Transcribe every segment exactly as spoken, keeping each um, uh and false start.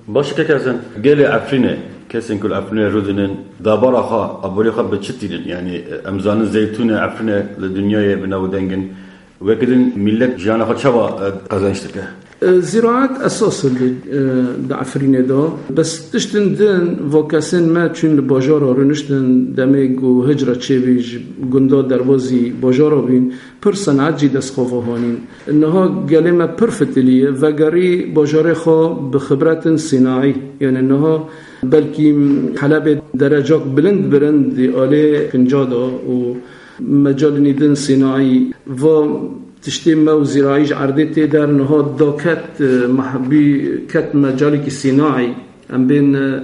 Baş e, kek Hesen, gelê Efrînê, kesên ku li Efrînê rûdinin, dabara xwe, aborî xwe bi çi tînin? Yanî, em zanin zeytûnê Efrînê li dinyayê bi navûdeng in. Wekî din millet jiyana xwe çawa, e, qezenç dike? E, ziraet esas e li, e, di Efrînê de. Bes tiştin din, va kesên me çûn li bajara rûniştin, demê ku hicra çêbî ji gunda derbazî bajara bîn, pir senaet jî dest xwe ve hanîn. Niha gelê me pir fitilî ye, vegerî bajarê xwe bi xibretin sînaî. Yanî niha belkî Helebê derecak bilind birin di alê kinca de û mecalî din sînaî. Va tiştê me û zîraî ji erdê tê der, niha daket, e, meh-, bî ket mecalekî sînaî. Em bên, e,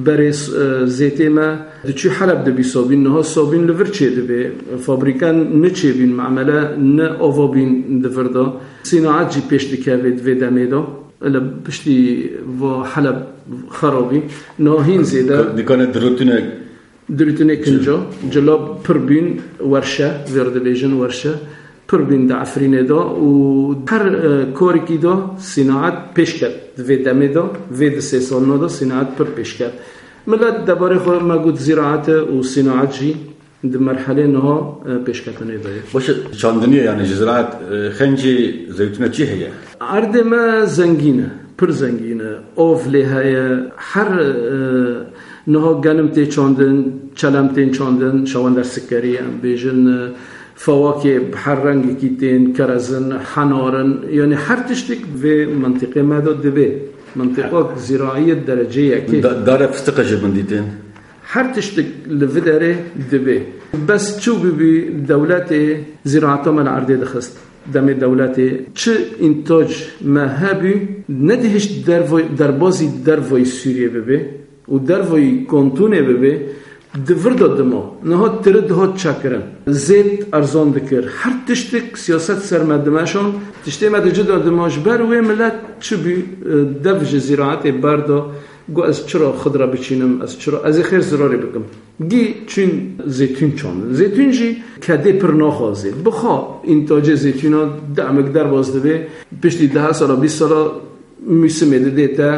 berê s-, e, zêtê me diçû Heleb dibî sabîn, niha sabîn li vir çêdibê. Fabrîkan ne çêbîn, memele ne ava bîn di vir de. Sînaet jî pêş dikeve di vê demê de. Li piştî va Heleb xerabî. Niha hîn zêde. Dikane dirûtine Dirûtinê kinca, cila pir bîn werşe, vêr dibêjin werşe, pir bîn di Efrînê de û her, e, korekî de sînaet pêş ket. Di vê demê de, vê di sê salina de sînaet pir pêş ket. Milet debarê xwe me got zîraet e û sînaet jî di merhelê niha, e, pêşketinê de ye. Baş e, çandiniyê, yanî ji ziraet, e, xencî, zeytûne çi heye? Erdê me zengîn e, pir zengîn e. Av lê heye, her, e, niha genim tê çandin, çelem tên çandin, şawender sikerî, em bêjin, e, fawakê bi her rengekî tên, kerezin, henarin, yanî her tiştik vê mentiqê me de dibê. Mentiqak zîraî ye dereceyê yekê. Da-, dare fistiqe ji bin dîtin. Her tiştik li vî derê dibê. Bes çû bibî dewletê zîraeta me li erdê dixist. Demê dewletê çi întac me hebû, nedihişt dervoy-, derbazî dervoyî Sûriyê bibê û dervoyî kontûnê bibê, di vir de dima. Niha tiri dihat çekirin. Zêt erzan dikir. Her tiştik siyaset ser me dimeşan. Tiştê me di cida dima. Ji ber wê milet çi bû, e, dev ji zîraetê berda. Got, ez çira xidra biçînim, ez çira, ez ê xêr zirarê bikim. Gî çûn zêtûn çandin. Zêtûn jî kedê pir naxwazê. Bixa întacê zêtûna demek derbas dibe, piştî deh sala, bîst sala mûsimê didê te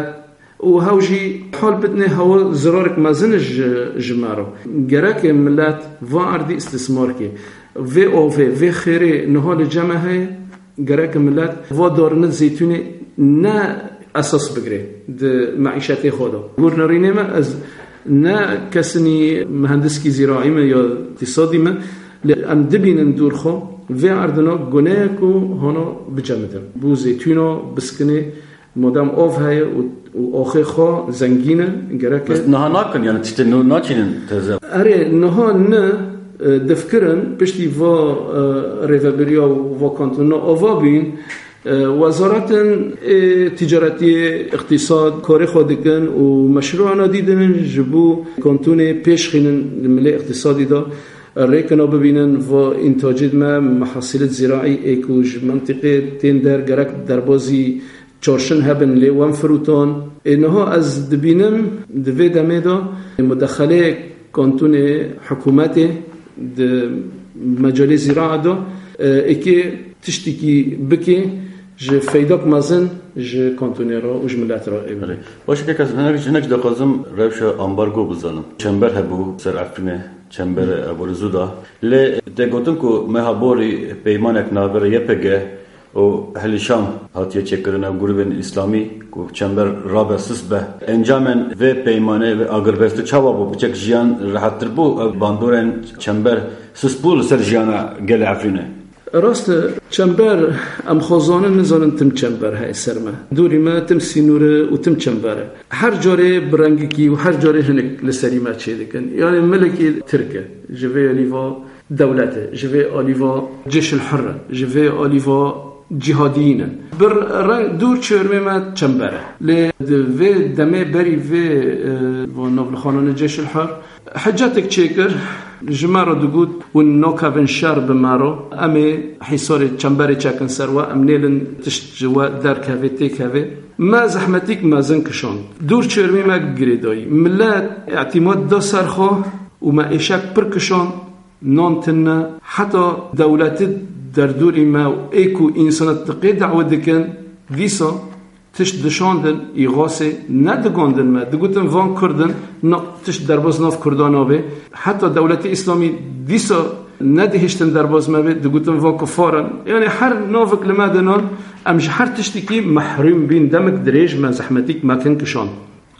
û hew jî hal bidinê hewa zirarek mezin ji, ji me re. Gerek e milet va erdî îstismar ke. Vê avê, vê xêrê niha li cem me heye, gerek e milet va darine zeytûnê ne esas bigire di meîşetê xwe de. Gor nerînê me, ez ne kesinî mihendiskî zîraî me ya îqtîsadî me, lê em dibînin dûr xwe, vê erdina guneyek û hana bicemidin. Bo zeytûna, biskinê, madem av heye û, û axê xwe zengîn e, gerek e. Bes niha nakin, yani tiştê nû naçînin teze. Erê, niha ne, e, difkirin, piştî va, e, rêvebiriya û va kantona ava bîn, e, wezaretin, e, ticaretiyê, îqtîsad, karê xwe dikin û meşrûana dî dinin ji bo kantûnê pêş xînin li milê îqtîsadî de. Rêkina bibînin va întacêt me, mehasîlet zîraî ê ku ji mentiqê tên der gerek derbazî çarşin hebin lê wen firotan. Ê niha ez dibînim di vê demê de mudexeleyê kantûnê hikûmetê di mecalê zîraa de, e, êkê tiştekî bike ji feydak mezin ji kantûnê re û ji milet re ê. Belê. Baş e, kek Hesen, hinek, hinek jî dixwazim rewşa ambargo bizanim. Çember hebû ser Efrînê, çemberê Aborî Zû da. Lê tê gotin ku meha borî peymanek navbera Y P G û Ehlî Şam hatiye çêkirin, ew grûbên îslamî ku çember rabe, sist be. Encamên vê peymanê, vê agirbestî çawa bû? Piçek jiyan rehettir bû? Ev bandorên çember sist bû li ser jiyana gelê Efrînê? Rast e, çember, em xwe zanin, nizanin tim çember heye ser me. Dûrî me tim sînor e û tim çember e. Her carê bi rengekî û her carê hinek li serî me çêdikin. Yanî milekî Tirk e, ji vê alî va dewlet e, ji vê alî va Cêşil Hurr e, ji vê alî va cîhadiyîn in. Bi reng dûr çêrmê me çember e. Lê di vê demê berî vê, e, va navlixananê Cêşil Hurr, Hicetek çêkir, ji me re digot, hûn nakevin şer bi me re, em ê hîsarê çemberê çekin ser we, em nêlin tişt ji we derkeve, têkeve. Me zehmetîk mezin kişand. Dûr çêrmî me girêdayî. Milet îtîmat da ser xwe û me êşek pir kişand, nan tune, heta dewletî derdorî me û ê ku însanat diqê dawet dikin, dîsa Tişt dişandin, îxasê nedigandin me. Digutin van Kurd in, na, tişt derbas nav Kurdan nabe. Heta dewletê Îslamî dîsa nedihiştin derbas me be, digutin van kufar in. Yani her navik li me dinan, em ji her tiştikî mehrûm bîn. Demik dirêj me zehmetîk mekin kişan.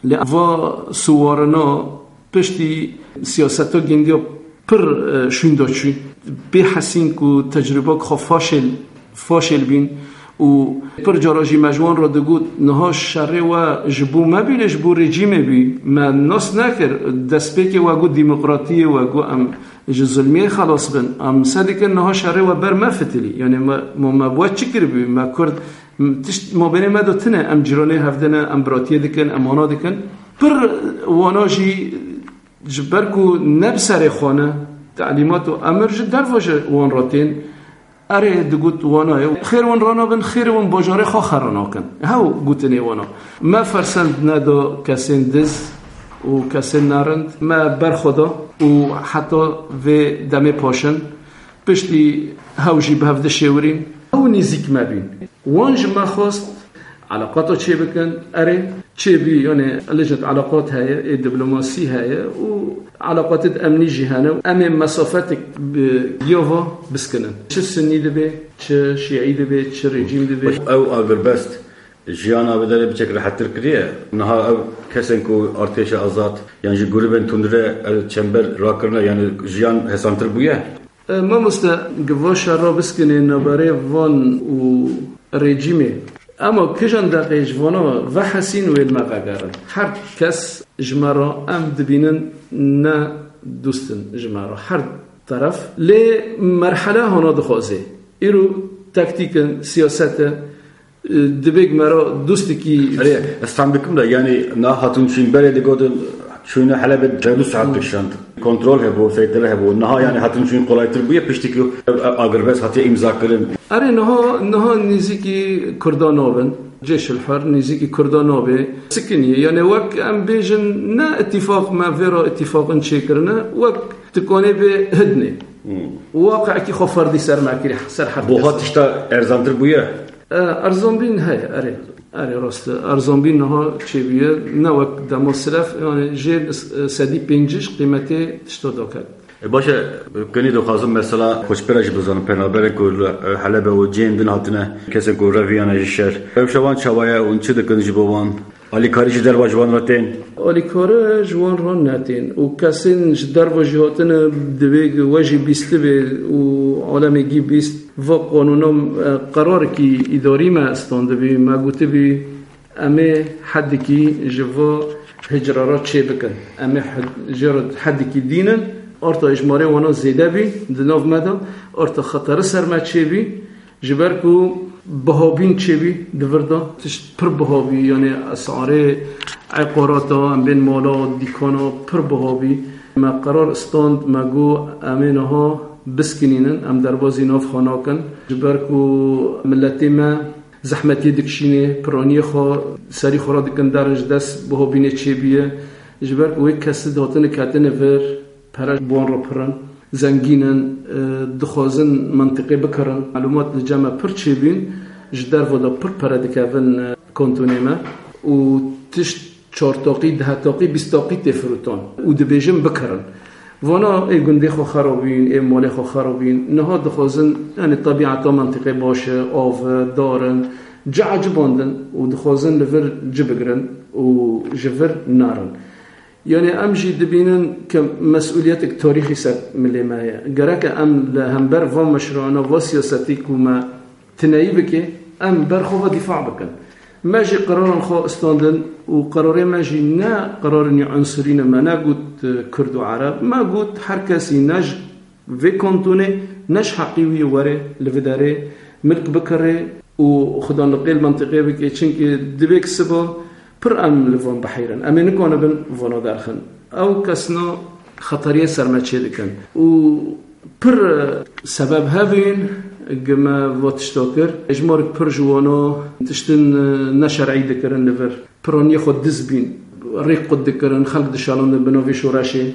Lê va siwarina piştî siyaseta gindiya pir, e, şûnda çû. Bê hesîn ku tecrûbak xwe faşêl, faşêl bîn û pir cara jî me ji wan re digot, niha şerê we ji bo me bî, lê ji bo rejîmê bî. Me nas nekir. Destpêkê we got demokratiyê, we got em ji zulmiyê xelas bin. Em se dikin niha şerê we ber me fitilî. Yani me, me, me bi we çi kiribû? Me Kurd, m-, tişt mabênê me de tune. Em cîranê hevdine, em biratiyê dikin, em wana dikin. Pir wana jî ji ber ku ne bi serê xwe ne, telîmat û emir ji derve ji wan re tên. Erê, digot, wana ye. Xêr wan ranabin, xêrê wan bajarê xwe xera nakin. Hew gotinê wana. Me fersend neda kesên diz û kesên nerind. Me berxwe da û heta vê demê paşin piştî hew jî bi hev dişêwirîn. Ew nêzîk me bîn. Wan ji me xwest eleqata çêbikin. Erê, çêbî, yani, lejnet eleqat heye, ê diplomasî heye û eleqatê di emnî jî hene. Em ê mesafetek bi giya va biskinin. Çi Sunnî dibe, çi Şiî dibe, çi rejîm dibe. Ew agirbest jiyana bi derê biçek rehettir kiriye. Niha ew kesên ku artêşa azad yan jî grûbên tundre ev çember rakirine, yani jiyan hesantir bûye. E, mamoste, giva şerra biskinê naberê van û rejîmê. Ema kijan deqê ji vana vehesîn wê li me vegerin. Her kes ji me re em dibînin ne dûst in ji me re. Her teref. Lê merhele hona dixwaze. Îro taktîk in, siyaset e. Divê me re dostekî Erê, ez fem dikim de, yani, na hatin çûn berê digotin, çûne Helebê çil saet dikişand. Kontrol hebû, seytire hebû. Niha, yani, hatin çûn kolaytir bûye, piştî ku ev, ev agirbest hatiye îmza kirin. Erê, niha, niha nêzîkî Kurda nabin. Cêşil Hur nêzîkî Kurda nabe. Sikiniye. Yani, wek em bêjin, ne îtîfaq me, vê re îtîfaqin çêkirine, wek tikonê bê hidnê. Waqeekî xwe ferdî ser me kirî, ser her kes. Buha tişta erzantir bûye? E, erzanbîn heye, erê. Erê, rast e. Erzanbîn niha çêbûye, ne wek dema silef, yani jê s-, sedî pêncî qîmetê tişta daket. E, baş e, kinî dixwazim mesela koçbera jî bizanim, penaberên ku li, e, Helebe û cihên din hatine, kesên ku reviyane ji şer. Ev şevan çawa ye û çi dikin ji bo wan? Alîkarî ji derva ji wan re tên? Alîkarî ji wan re netên û kesên ji derva jî hatine divê we jî bîstibê û alemê gî bîst. Va qanûna, e, qerarekî îdarî me standibî, me gotibî, em ê hedikî ji va hicra re çêbikin. Em ê hed-, jê re hedikî dînin, arta êjmarê wana zêde bî di nav me de, arta xeterî ser me çêbî. Ji ber ku bihabîn çêbî di vir de, tişt pir bihabî, yani esarê eqarata, em bên mala, dîkana pir bihabî. Me qerar stand, me got, em ê niha biskinînin, em derbazî nav xwe nakin. Ji ber ku miletê me zehmetiyê dikişînê, piraniyê xwe serî xwe re dikin derin, ji dest bihabînê çêbûye. Ji ber ku wê kesî dihatine ketine vir, pere ji wan re pir in, zengîn in, e, dixwazin mentiqê bikirin. Melûmat li cem me pir çêbîn, ji derve de pir pere dikevin, e, kantonê me û tişt çar taqî, deh taqî, bîst taqî tê firotan û dibêjin bikirin. Vana ê gundê xwe xerabîn, ê malê xwe xerabîn, niha dixwazin, yani, tebîeta mentiqê baş e, av e, dar in, cih ecibandin û dixwazin li vir ci bigirin û ji vir nerin. Yani em jî dibînin ke mesûliyetek tarîxî ser milê me ye. Gereke em li hember van meşrûana, va siyasetî ku me tineyî bike, em ber xwe ve dîfa bikin. Me jî qeraran xwe standin û qerarê me jî ne qerarên unsurî ne. Me negot, e, Kurd û Ereb. Me got her kesî ne ji vê kantonê, ne ji heqî wî were li vê derê milk bikire û xudan li qêl mentiqê bike, çimkî divê ki siba pir em li van biheyrin. Em ê nikanibin vana derxin. Ew kesna xeteriyê ser me çê dikin. Û pir sebeb hevîn gi me va tişta kir. Êjmarek pir ji wana tiştin neşer'î dikirin li vir. Piraniyê xwe diz bîn, rêk qut dikirin, xelk dişalindin bi navê şoreşê.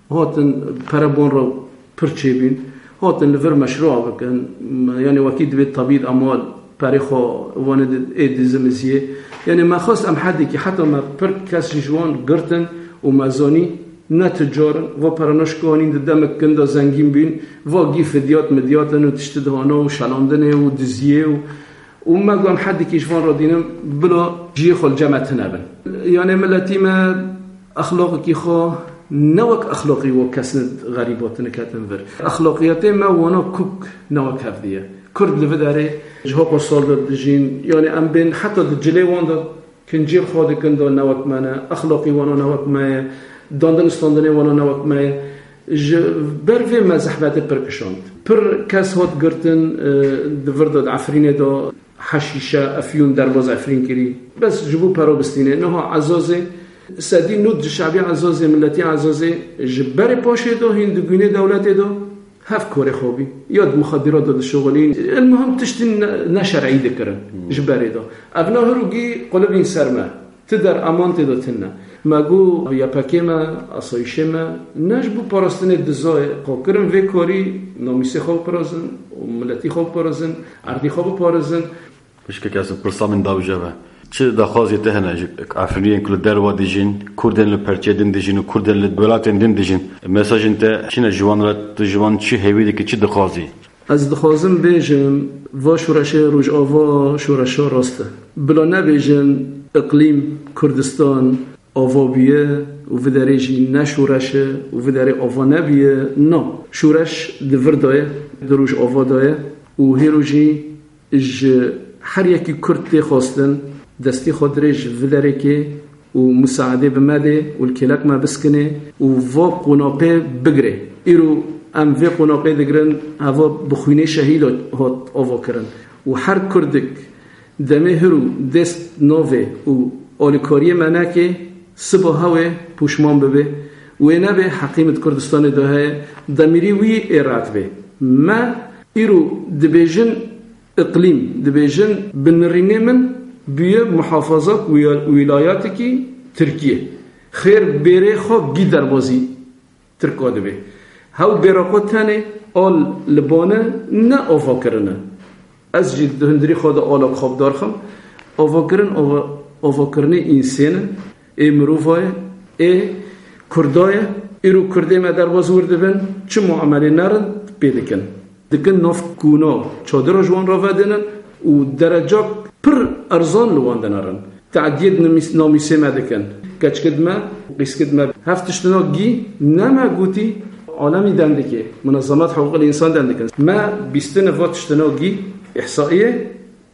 Hatin pere bon re pir çêbîn. Hatin li vir meşrûa bikin. Yani wekî divê tebîd emal perê xwe wane ê dizimiziyê. Yanî me xwest em hedekî heta me pir kes jî ji wan girtin û me zanî ne ticar in. Va pere naşkanîn di demek kin de zengîn bîn. Va gî fidyat midyat in û tişti dihana û şelandinê û diziyê û û me got em hedekî ji van re dînin bila ciyê xwe li cem me tune bin. Yanê miletî me exlaqekî xwe ne wek exlaqî wek kesine xerîba tune ketin vir. Exlaqiyetê me wana kuk ne wek hevdî ye. Kurd li vê derê ji haqo sal de dijîn, yanê em bên heta di cilê wan de kincê xwe dikin de ne wek me ne, exlaqî wana ne wek me ye, dandin standinê wana ne wek me ye. Ji ber vê me zehmetê pir kişand. Pir kes hat girtin, e, di vir de, di Efrînê de heşîşe, efyûn derbaz Efrîn kirî. Bes ji bo pera bistînê. Niha Ezazê, sedî nod ji şebî Ezazê, miletî Ezazê ji berê paşê de hîn di gûnê dewletê de hev korê xwe bî. Ya di muxadîrat de dişuxulîn. El muhim tiştî ne, ne şer'î dikirin ji berê de. Ev ne hirûgî qulibîn ser me. Ti der eman tê de tune. Me got Y P G me, asayîşê me, ne ji bo parastinê dizayê xwe kirin vê karî namîsê xwe biparêzin û miletî xwe biparêzin, erdî xwe biparêzin. Pişkek ez pirsa min dawije be. Çi daxwazê te hene ji Efrîniyên ku li derve dijîn, Kurdên li perçê din dijîn û Kurdên li welatên din dijîn? Mesajên te çi ne ji wan re, tu ji wan çi hêvî dikî, çi dixwazî? Ez dixwazim bêjim, va şoreşê Rojava şoreşa rast e. Bila nebêjin, iqlîm Kurdistan ava bûye û vê derê jî ne şoreş e û vê derê ava nebûye. Na, şoreş di vir de ye, di Rojava de ye û hêro jî ji her yekî Kurd tê xwestin destê xwe dirêj vê derê ke û musaedê bi me dê û li kêlek me biskine û va qonaxê bigire. Îro em vê qonaxê digirin, heva bi xwînê şehîd hat ava kirin. Û her Kurdik demê hirû dest navê û alîkariyê me neke, siba hewê pûşman bibe. Wê nebe heqî min di Kurdistanê de heye, demîrî wî ê ret be. Me îro dibêjin, Îqlîm, dibêjin, bi nirînê min bûye muhafazat wîya-, wîlayatekî Tirkiyê. Xêr bêrê xwe gî derbazî Tirka dibe. Hew bêra xwe tenê al li bane ne ava kirine. Ez jî di hundirî xwe de ala xwe bi dar xim. Avakirin, ava, avakirinê însên e, ê mirova ye, ê Kurda ye. Îro Kurdê me derbas wir dibin, çi muamelê nerin pê dikin. Dikin nav kûna çadira ji wan re vedinin û derecak pir erzan li wan dinerin. Te'diyê di nimîs-, namîsê me dikin. Keçikid me, qîskid me. Hev tiştina gî ne me gotî, alemî dem dike. Munezemat hiqûqil însan dem dikin. Me bîstine va tiştina gî, îhsaiyê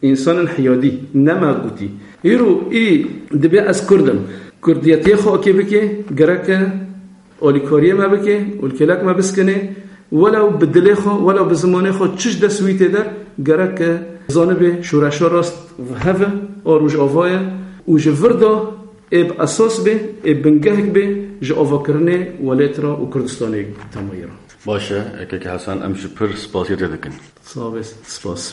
însanên hiyadî, ne me gotî. Îro î dibe ez Kurd im. Kurdiyetiyê xwe okê bike, gereke alîkariyê me bike û li kêlek me biskine, welew bi dilê xwe, welew bi zimanê xwe çi ji dest wî tê der, gereke zanibe şoreşa rast heve a Rojava ye û ji vir de ê bi esas be, ê bingehek be ji avakirinê welêt re û Kurdistanê temayî re. Baş e, Keke Hesan, em ji pir spasiya te dikin. Sağ ol, spas.